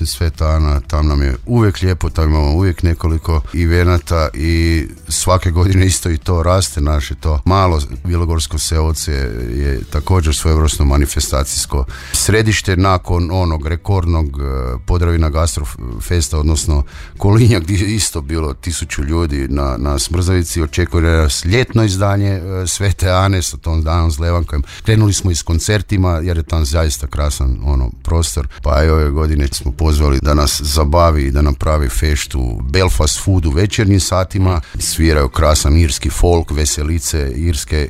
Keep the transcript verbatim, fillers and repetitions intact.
Sveta Ana, tam nam je uvijek lijepo, tam imamo uvijek nekoliko evenata i svake godine isto i to raste naše to malo Bilogorsko Seoce je također svojevrsno manifestacijsko središte nakon onog rekordnog Podravina Gastrofesta, odnosno Kolinja gdje je isto bilo tisuću ljudi na, na Smrzavici. Očekuje nas ljetno izdanje Svete Ane sa tom danom s Levankom. Krenuli smo i s koncertima jer je tam zaista krasan ono prostor, pa i ove godine smo pozvali da nas zabavi i da nam pravi feštu Belfast Food u večernjim satima. Sviraju krasan irski folk, veselice irske